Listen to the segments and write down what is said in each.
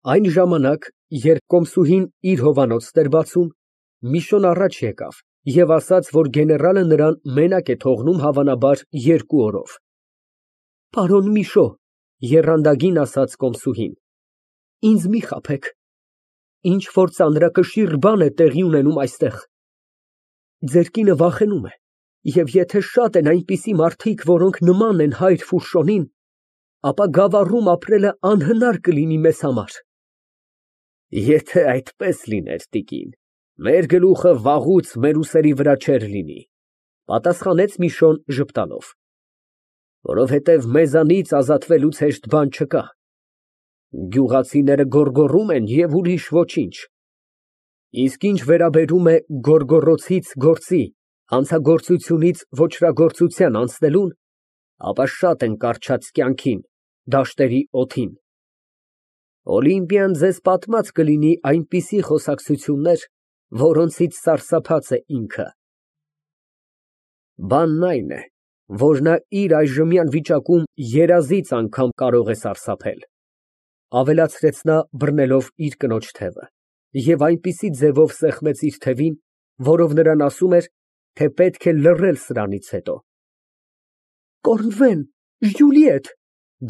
Այն ժամանակ, երբ կոմսուհին իր հովանոցն էր բացում, Միշոն առաջ եկավ և ասաց, որ գեներալը նրան մենակ է թողնում, հավանաբար, 2 օրով։ Պարոն Միշո, եռանդագին ասաց կոմսուհին, ինձ մի խաբեք, ինչ֊որ ծանրակշիռ բան է տեղի ունենում այստեղ։ Ձեր կինը վախենում է, և եթե շատ են այնպիսի մարդիկ, որոնք նման են հայր Ֆուշոնին, ապա Գավառում ապրելը անհնար կլինի մեզ համար։ Եթե այդպես լիներ, տիկին, մեր գլուխը վաղուց մեր ուսերի վրա չէր լինի, պատասխանեց Միշոն ժպտալով, որովհետև մեզանից ազատվելուց հեշտ բան չկա։ Գյուղացիները գոռգոռում են և ուրիշ ոչինչ։ Իսկ ինչ վերաբերում է գոռգոռոցից գործի, հանցագործությունից ոճրագործության անցնելուն, ապա շատ են կառչած կյանքին, դաշտերի օդին։ Օլիմպիան ձեզ պատմած կլինի այնպիսի խոսակցություններ, որոնցից սարսափած է ինքը։ Բանն այն է, որ նա իր այժմյան վիճակում երազից անգամ կարող է սարսափել, ավելացրեց նա, բռնելով իր կնոջ թևը, և այնպիսի ձևով սեղմեց իր թևին, որով նրան ասում էր, թե պետք է լռել սրանից հետո։ Կորնվեն, Ժյուլիետ,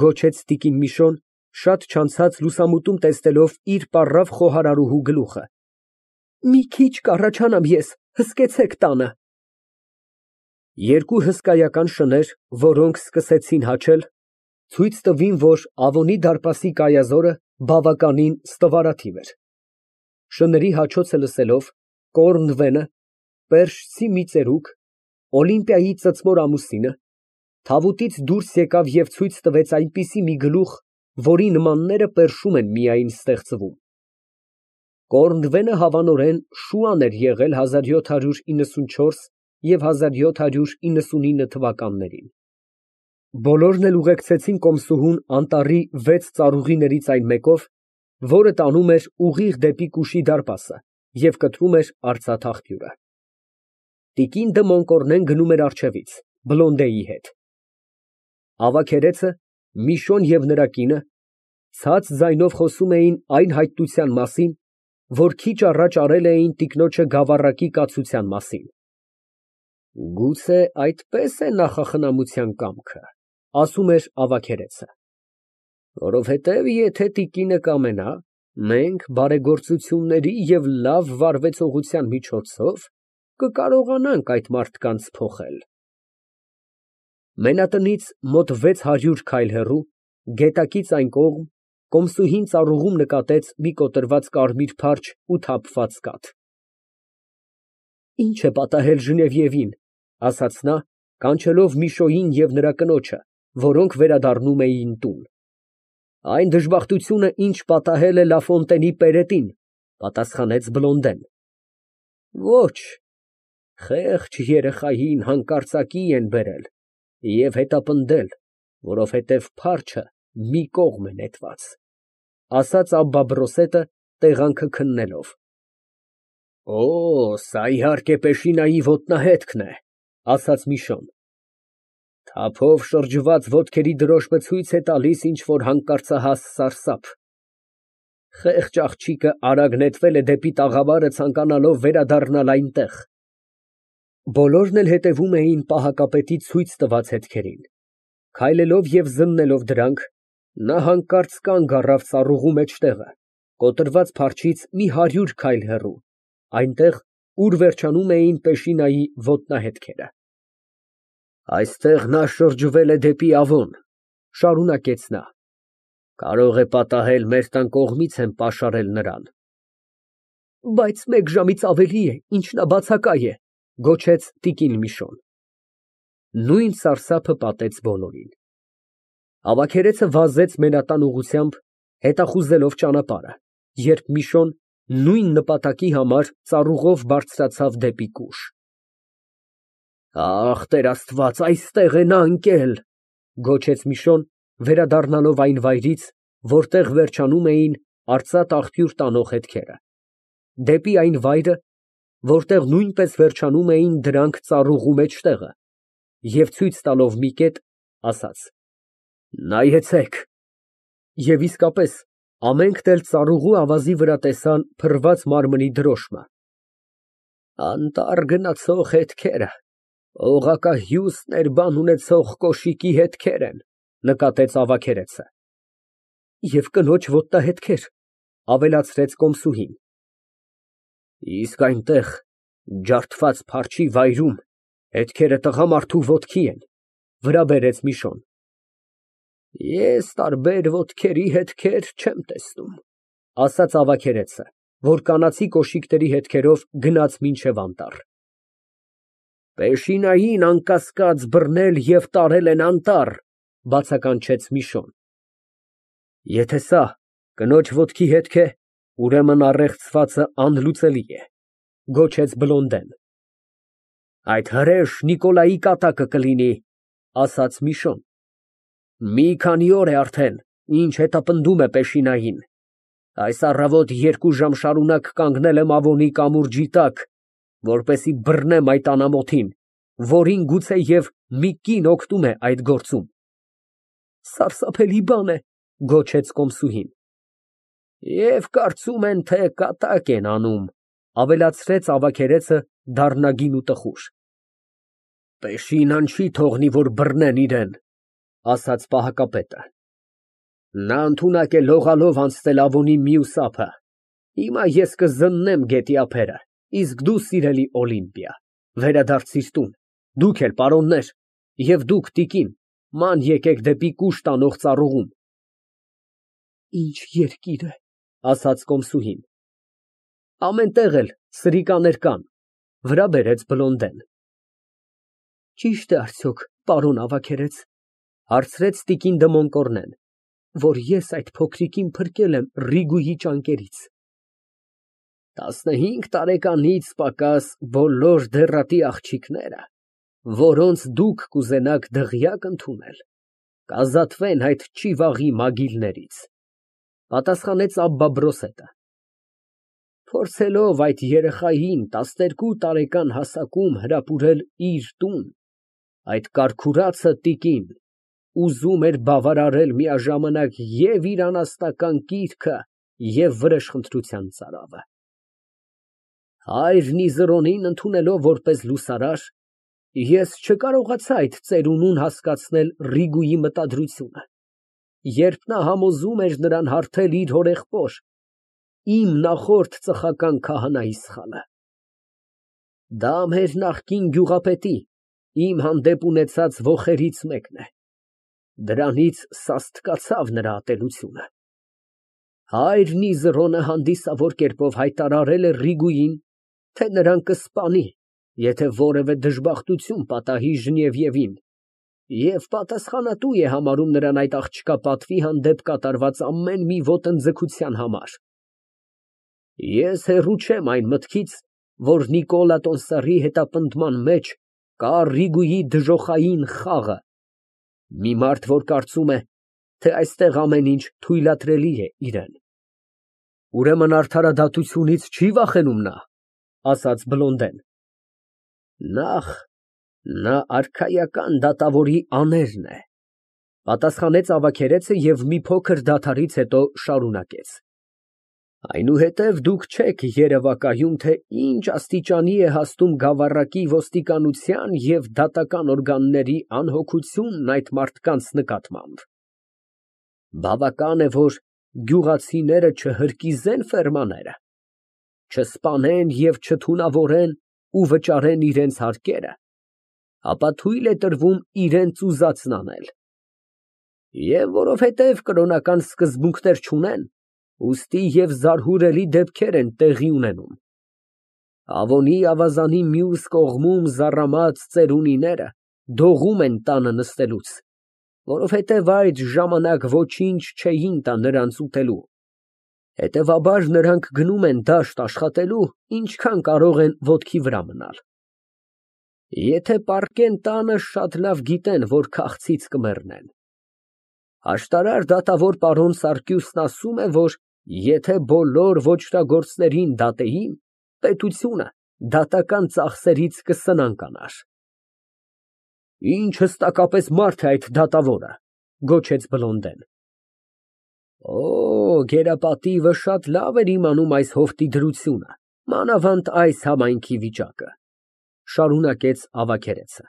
գոչեց տիկին Միշոն, շատ չանցած լուսամուտում տեսնելով իր պառավ խոհարարուհու գլուխը։ Մի քիչ կառաջանամ ես, հսկեցեք տանը։ Երկու հսկայական շներ, որոնք սկսեցին հաչել, ցույց տվին, որ Ավոնի դարպասի կայազորը բավականին ստվարաթիվ էր։ Շների հաչոցը լսելով, Կորնվենը, պերճցի մի ծերուկ, Օլիմպիայի ծծմոր ամուսինը, թավուտից դուրս եկավ և ցույց տվեց այնպիսի մի գլուխ, որի նմանները պերշում են միայն ստեղծվում։ Կորնվենը հավանորեն շուան էր եղել 1794 և 1799 թվականներին։ Բոլորն էլ ուղեկցեցին կոմսուհուն անտառի 6 ծառուղիներից այն մեկով, որը տանում էր ուղիղ դեպի Կուշի դարպասը և կտրում էր արծաթ աղբյուրը։ Տիկին դը Մոնկորնեն գնում էր առջևից, Բլոնդեի հետ։ Ավագերեցը, Միշոն և նրա կինը ցած ձայնով խոսում էին այն հայտնության մասին, որ քիչ առաջ արել էին տիկնոջը գավառակի կացության մասին։ Գուցե այդպես է նախախնամության կամքը, ասում էր ավագերեցը, որովհետև եթե տիկինը կամենա, մենք բարեգործությունների և լավ վարվեցողության միջոցով կկարողանանք այդ մարդկանց փոխել։ Մենատնից մոտ 600 քայլ հեռու, գետակից այն կողմ, կոմսուհին ծառուղում նկատեց մի կոտրված կարմիր փարչ ու թափված կաթ։ Ինչ է պատահել Ժնևիևին, ասաց նա, կանչելով Միշոյին և նրա կնոջը, որոնք վերադառնում էին տուն։ Այն դժբախտությունը, ինչ պատահել է Լաֆոնտենի պերետին, պատասխանեց Բլոնդեն։ Ոչ, խեղճ երեխային հանկարծակի են բերել և հետապնդել, որովհետև փարչը մի կողմ է նետված, ասաց Աբբա֊Բրոսետը, տեղանքը քննելով։ Օ, սա իհարկե Պեշինայի ոտնահետքն է, ասաց Միշոն։ Թափով շրջված ոտքերի դրոշմը ցույց է տալիս ինչ֊որ հանկարծահաս սարսափ։ Խեղճ աղջիկը արագ նետվել է դեպի տաղավարը, ցանկանալով վերադառնալ այնտեղ։ Բոլորն էլ հետևում էին պահակապետի ցույց տված հետքերին։ Քայլելով և զննելով դրանք, նա հանկարծ կանգ առավ ծառուղու մեջտեղը, կոտրված փարչից մի 100 քայլ հեռու, այնտեղ, ուր վերջանում էին Պեշինայի ոտնահետքերը։ Այստեղ նա շրջվել է դեպի Ավոն, շարունակեց նա։ Կարող է պատահել մեր տան կողմից են պաշարել նրան։ Բայց մեկ ժամից ավելի է, ինչ նա բացակայ է, գոչեց տիկին Միշոն։ Նույն սարսափը պատեց բոլորին։ Ավագերեցը վազեց մենատան ուղղությամբ, հետախուզելով ճանապարհը, երբ Միշոն նույն նպատակի համար ծառուղով բարձրացավ դեպի Կուշ։ Ախ, Տեր Աստված, այստեղ է նա ընկել, գոչեց Միշոն, վերադառնալով այն վայրից, որտեղ վերջանում էին արծաթ աղբյուր տանող հետքերը, դեպի այն վայրը, որտեղ նույնպես վերջանում էին դրանք ծառուղու մեջտեղը, և ցույց տալով մի կետ, ասաց. Նայեցեք։ Եվ իսկապես, Ամենքն էլ ծառուղու ավազի վրա տեսան փռված մարմնի դրոշմը։ Անտառ գնացող հետքերը, օղակահյուս բան ունեցող կոշիկի հետքեր են, նկատեց ավագերեցը։ Եվ կնոջ ոտնահետքեր, ավելացրեց կոմսուհին։ Իսկ այնտեղ, ջարդված փարչի վայրում, հետքերը տղամարդու ոտքի են, վրա բերեց Միշոն։ Ես տարբեր ոտքերի հետքեր չեմ տեսնում, ասաց ավագերեցը, որ կանացի կոշիկների հետքերով գնաց մինչև անտառ։ Պեշինային անկասկած բռնել և տարել են անտառ, բացականչեց Միշոն։ Եթե սա կնոջ ոտքի հետք է, ուրեմն առեղծվածը անլուծելի է, գոչեց Բլոնդեն։ Այդ հրեշ Նիկոլայի կատակը կլինի, ասաց Միշոն։ Մի քանի օր է արդեն, ինչ հետապնդում է Պեշինային։ Այս առավոտ 2 ժամ շարունակ կանգնել եմ Ավոնի կամուրջի տակ, որպեսզի բռնեմ այդ անամոթին, որին գուցեև մի կին օգնում է այդ գործում։ Սարսափելի բան է, գոչեց կոմսուհին։ Եվ կարծում են, թե կատակ են անում, ավելացրեց ավագերեցը դառնագին ու տխուր։ Պեշինան չի թողնի, որ բռնեն իրեն, ասաց պահակապետը։ Նա ընդունակ է լողալով անցնել Ավոնի մյուս ափը։ Հիմա ես կզննեմ գետի ափերը, իսկ դու, սիրելի Օլիմպիա, վերադարձիր տուն, դուք էլ, պարոններ, և դուք, տիկին, ման եկեք դեպի կուշ տանող ծառուղուն։ Ինչ երկիր է, ասաց կոմսուհին։ Ամեն տեղ էլ սրիկաներ կան, վրա բերեց Բլոնդեն։ Ճիշտ է արդյոք, պարոն ավագերեց, հարցրեց տիկին դը Մոնկորնեն, որ ես այդ փոքրիկին փրկել եմ Ռիգուի ճանկերից։ 15 տարեկանից պակաս բոլոր դեռատի աղջիկները, որոնց դուք կուզենաք դղյակ ընդունել, կազատվեն այդ ճիվաղի մագիլներից, պատասխանեց Աբբա Բրոսետը։ Փորձելով այդ երեխային 12 տարեկան հասակում հրապուրել իր տուն, այդ կարքուրացը տիկին ուզում էր բավարարել միաժամանակ և իր անասնական կիրքը և վրեժխնդրության ծարավը։ Հայրն Իզրոնին ընդունելով որպես լուսարար, ես չկարողացա այդ ծերունուն հասկացնել Ռիգուի մտադրությունը, երբ նա համոզում էր նրան հարթել իր հորեղբոր, իմ նախորդ ծխական քահանայի սխալը։ Դա մեր նախկին գյուղապետի, իմ հանդեպ ունեցած ոխերից մեկն է։ Դրանից սաստկացավ նրա ատելությունը։ Հայրն Իզրոնը հանդիսավոր կերպով հայտարարել է Ռիգուին, թե նրան կսպանի, եթե որևէ դժբախտություն պատահի Ժնևիևին, և պատասխանատու է համարում նրան այդ աղջկա պատվի հանդեպ կատարված ամեն մի ոտնձգության համար։ Ես հեռու չեմ այն մտքից, որ Նիկոլա Տոնսարի հետապնդման մեջ կա Ռիգուի դժոխային խաղը, մի մարդ, որ կարծում է, թե այստեղ ամեն ինչ թույլատրելի է իրան։ Ուրեմն արդարադատությունից չի վախենում նա, ասաց Բլոնդեն։ Նախ, նա արքայական դատավորի աներն է, պատասխանեց ավագերեցը և մի փոքր դադարից հետո շարունակեց։ Այնուհետև դուք չեք երևակայում, թե ինչ աստիճանի է հասնում գավառակի ոստիկանության և դատական օրգանների անհոգությունն այդ մարդկանց նկատմամբ։ Բավական է, որ գյուղացիները չհրկիզեն ֆերմաները, չսպանեն և չթունավորեն ու վճարեն իրենց հարկերը, ապա թույլ է տրվում իրենց ուզածն անել։ Եվ որովհետև կրոնական սկզբունքներ չունեն, ուստի և զարհուրելի դեպքեր են տեղի ունենում։ Ավոնի ավազանի մյուս կողմում զառամած ծերունիները դողում են տանը նստելուց, որովհետև այդ ժամանակ ոչինչ չէին տա նրանց ուտելու։ Հետևաբար նրանք գնում են դաշտ աշխատելու, ինչքան կարող են ոտքի վրա մնալ։ Եթե պառկեն տանը, շատ լավ գիտեն, որ քաղցից կմեռնեն։ Աշտարար դատավոր պարոն Սարգիսն ասում է, որ եթե բոլոր ոճրագործներին դատեին, պետությունը դատական ծախսերից կսնանկանար։ Ինչ հստակապես մարդ է այդ դատավորը, գոչեց Բլոնդեն։ Օ, գերապատիվը շատ լավ էր իմանում այս հովտի դրությունը, մանավանդ այս համայնքի վիճակը, շարունակեց ավագերեցը։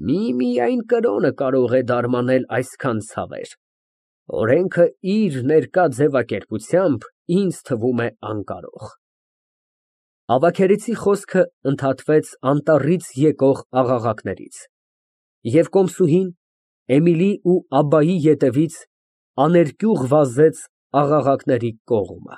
Միմիայն կրոնը կարող է դարմանել այսքան ցավեր։ Օրենքը իր ներկա ձևակերպությամբ ինձ թվում է անկարող։ Ավագերեցի խոսքը ընդհատվեց անտառից եկող աղաղակներից, և կոմսուհին Էմիլի ու Աբբայի ետևից աներկյուղ վազեց աղաղակների կողմը։